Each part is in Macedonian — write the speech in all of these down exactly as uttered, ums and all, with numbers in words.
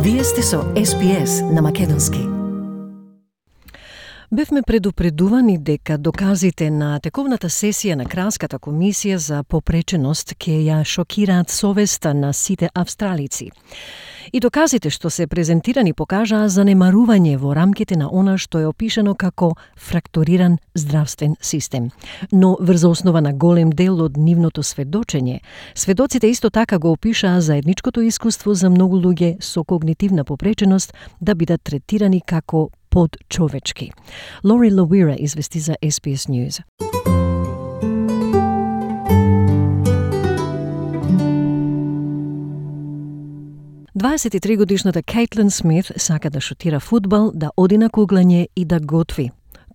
Вие сте со Ес Би Ес на македонски. Бевме предупредувани дека доказите на тековната сесија на Кралската комисија за попреченост ќе ја шокираат совеста на сите австралици. И доказите што се презентирани покажаа занемарување во рамките на она што е опишано како фрактуриран здравствен систем. Но врз основа на голем дел од нивното сведочење, сведоците исто така го опишаа заедничкото искуство за многу луѓе со когнитивна попреченост да бидат третирани како подчовечки. Лори Лауира извести за Ес Би Ес News. дваесет и три годишната Кейтлин Смит сака да шутира фудбал, да оди на куглање и да готви.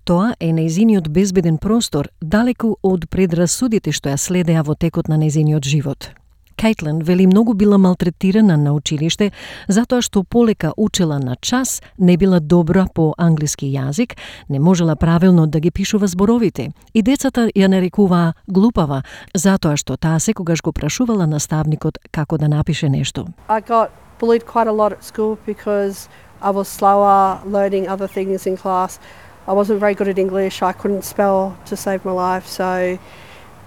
Тоа е нејзиниот безбеден простор, далеку од предрасудите што ја следеа во текот на нејзиниот живот. Кейтлин вели многу била малтретирана на училиште затоа што полека учела на час, не била добра по англиски јазик, не можела правилно да ги пишува зборовите и децата ја нарекуваа глупава затоа што таа секогаш го прашувала наставникот како да напише нешто. I got bullied quite a lot at school because I was slower learning other things in class. I wasn't very good at English. I couldn't spell to save my life, so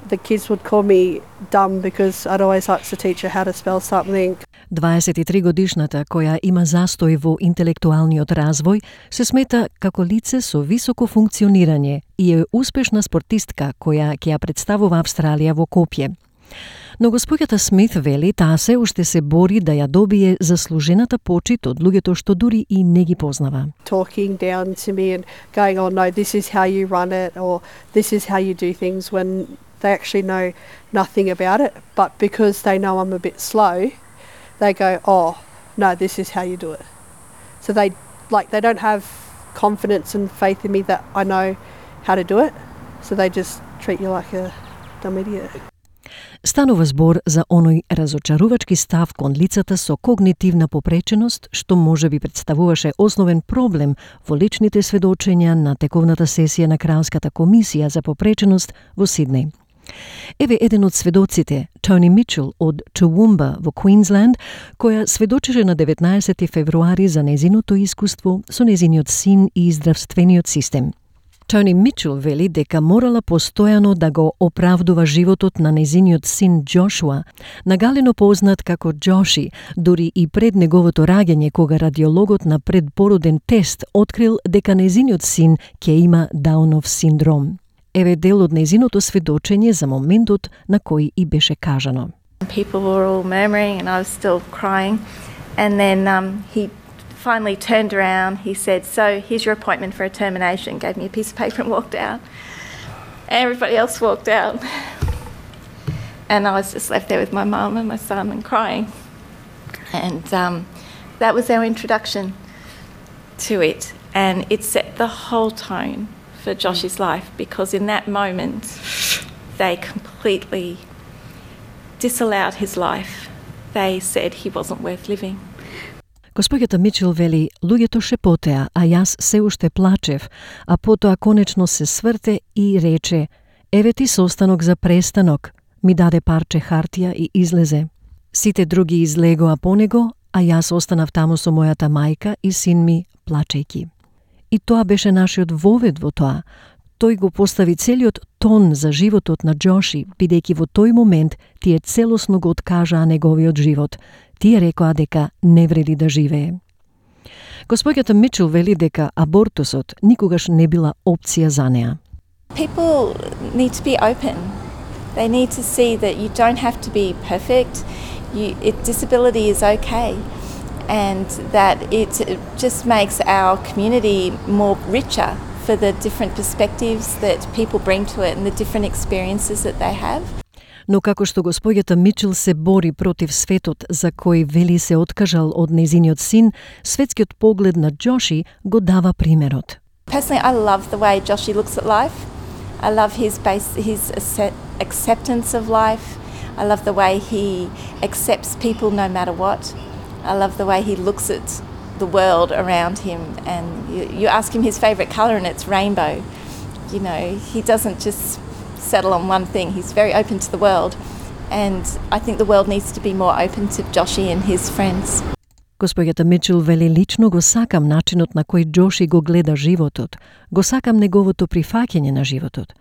the kids would call me dumb because I'd always ask the teacher how to spell something. дваесет и три годишната, која има застој во интелектуалниот развој, се смета како лице со високо функционирање и е успешна спортистка која ќе ја представува Австралија во копје. Но госпоѓата Смит вели таа се уште се бори да ја добие заслужената почит од луѓето што дури и не ги познава. Talking down to me and going, oh no, this is how you run it, or this is how you do things, when they actually know nothing about it, but because they know I'm a bit slow, they go, oh no, this is how you do it. So they like they don't have confidence and faith in me that I know how to do it, so they just treat you like a dumb idiot. Станува збор за оној разочарувачки став кон лицата со когнитивна попреченост, што може би представуваше основен проблем во личните сведочења на тековната сесија на Кралската комисија за попреченост во Сиднеј. Еве еден од сведоците, Тони Мичел од Toowoomba во Квинсленд, која сведочеше на деветнаесети февруари за незиното искуство со незиниот син и здравствениот систем. Тони Мичел вели дека морала постојано да го оправдува животот на незиниот син Джошуа, нагалено познат како Джоши, дури и пред неговото раѓање кога радиологот на предпороден тест открил дека незиниот син ќе има Даунов синдром. Еве дел од незиното сведочење за моментот на кој и беше кажано. People were all murmuring and I was still crying, and then um, he finally turned around, he said, so here's your appointment for a termination, gave me a piece of paper and walked out. Everybody else walked out. And I was just left there with my mum and my son and crying. And um, that was our introduction to it. And it set the whole tone for Josh's life, because in that moment they completely disallowed his life. They said he wasn't worth living. Госпоѓата Мичел вели, луѓето шепотеа, а јас се уште плачев, а потоа конечно се сврте и рече, еве ти состанок за престанок, ми даде парче хартија и излезе. Сите други излегоа по него, а јас останав таму со мојата мајка и син ми, плачејки. И тоа беше нашиот вовед во тоа. Тој го постави целиот тон за животот на Джоши, бидејќи во тој момент тие целосно го откажаа неговиот живот. Тие рекоа дека не вреди да живее. Госпоѓата Мичел вели дека абортусот никогаш не била опција за неа. People need to be open. They need to see that you don't have to be perfect. You, it, disability is okay. And that it just makes our community more richer for the different perspectives that people bring to it and the different experiences that they have. Но како што госпоѓата Мичел се бори против светот за кој вели се откажал од незиниот син, светскиот поглед на Джоши го дава примерот. Personally, I love the way Joshi looks at life. I love his base, his acceptance of life. I love the way he accepts people no matter what. I love the way he looks at the world around him, and you, you ask him his favourite colour and it's rainbow. You know, he doesn't just settle on one thing. He's very open to the world, and I think the world needs to be more open to Joshi and his friends. Госпоѓата Мичел вели: лично го сакам начинот на кој Џоши го гледа животот, го сакам неговото прифаќање на животот.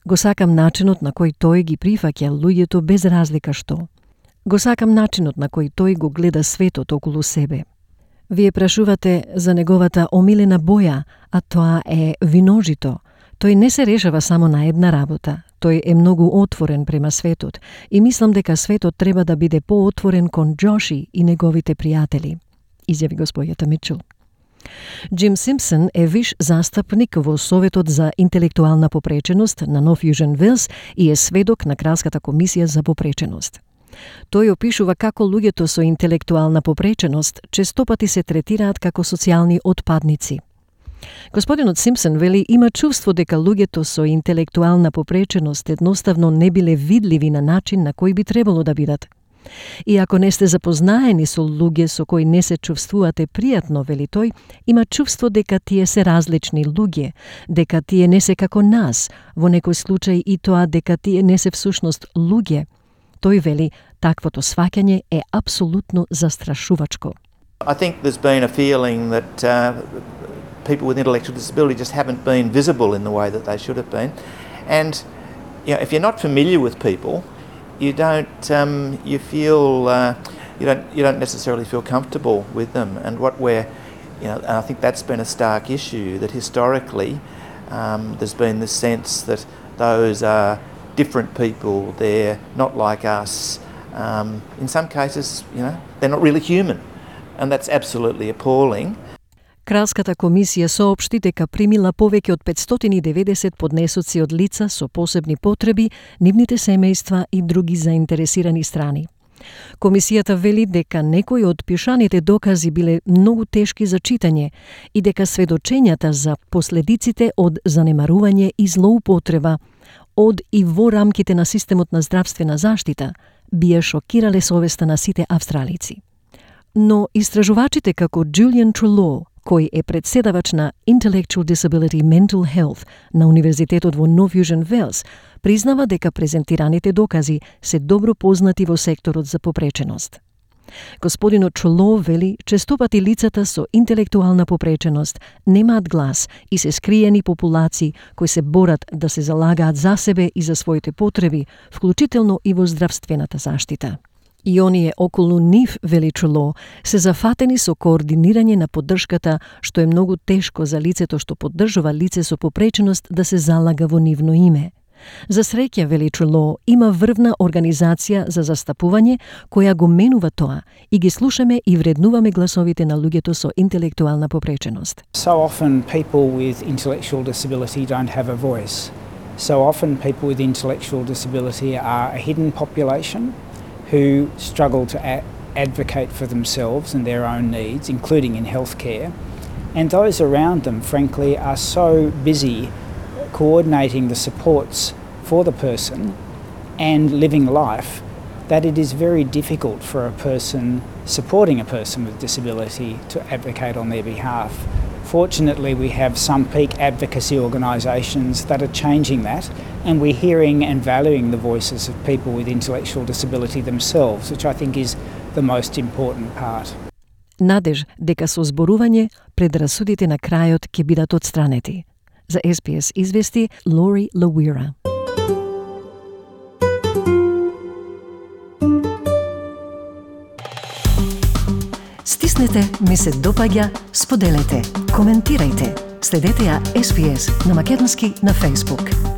Го сакам начинот на кој тој ги прифаќа луѓето без разлика што. Го сакам начинот на кој тој го гледа светот околу себе. Вие прашувате за неговата омилена боја, а тоа е виножито. Тој не се решава само на една работа. Тој е многу отворен према светот и мислам дека светот треба да биде поотворен кон Џоши и неговите пријатели, изјави госпоѓата Мичел. Джим Симпсон е виш застапник во Советот за интелектуална попреченост на Нов Јужен Велс и е сведок на Кралската комисија за попреченост. Тој опишува како луѓето со интелектуална попреченост честопати се третираат како социјални отпадници. Господинот Симпсон вели има чувство дека луѓето со интелектуална попреченост едноставно не биле видливи на начин на кој би требало да бидат. И ако не сте запознаени со луѓе со кои не се чувствувате пријатно, вели тој, има чувство дека тие се различни луѓе, дека тие не се како нас, во некој случај и тоа дека тие не се всушност луѓе. Тој вели, таквото сваќање е апсолутно застрашувачко. I think there's been a feeling that uh, people with intellectual disability just haven't been visible in the way that they should have been. And you know, if you're not familiar with people, you don't um, you feel uh, you don't you don't necessarily feel comfortable with them. And what we're you know, and I think that's been a stark issue, that historically um, there's been this sense that those are different people, they're not like us. Um, in some cases, you know, they're not really human, and that's absolutely appalling. Кралската комисија соопшти дека примила повеќе од петстотини и деветдесет поднесоци од лица со посебни потреби, нивните семејства и други заинтересирани страни. Комисијата вели дека некои од пишаните докази биле многу тешки за читање и дека сведочењата за последиците од занемарување и злоупотреба од и во рамките на системот на здравствена заштита бија шокирале совеста на сите австралици. Но истражувачите како Джулиан Трело, кој е председавач на Intellectual Disability Mental Health на Универзитетот во Нов Јужен Велс, признава дека презентираните докази се добро познати во секторот за попреченост. Господинот Трело вели, честопати лицата со интелектуална попреченост немаат глас и се скриени популации кои се борат да се залагаат за себе и за своите потреби, вклучително и во здравствената заштита. И оние околу нив, вели Трело, се зафатени со координирање на поддршката, што е многу тешко за лицето што поддржува лице со попреченост да се залага во нивно име. За среќа, вели Трело, има врвна организација за застапување која го менува тоа и ги слушаме и вреднуваме гласовите на луѓето со интелектуална попреченост. So often people with intellectual disability don't have a voice. So often people with intellectual disability are a hidden population who struggle to a- advocate for themselves and their own needs, including in healthcare. And those around them, frankly, are so busy coordinating the supports for the person and living life that it is very difficult for a person supporting a person with disability to advocate on their behalf. Fortunately, we have some peak advocacy organisations that are changing that, and we're hearing and valuing the voices of people with intellectual disability themselves, which I think is the most important part. Надеж дека со зборување предрасудите на крајот ќе бидат отстранети. За Ес Би Ес извести Лори Лауира. Стиснете, ми се допаѓа, споделете, коментирајте. Следете ја Ес Би Ес на македонски на Facebook.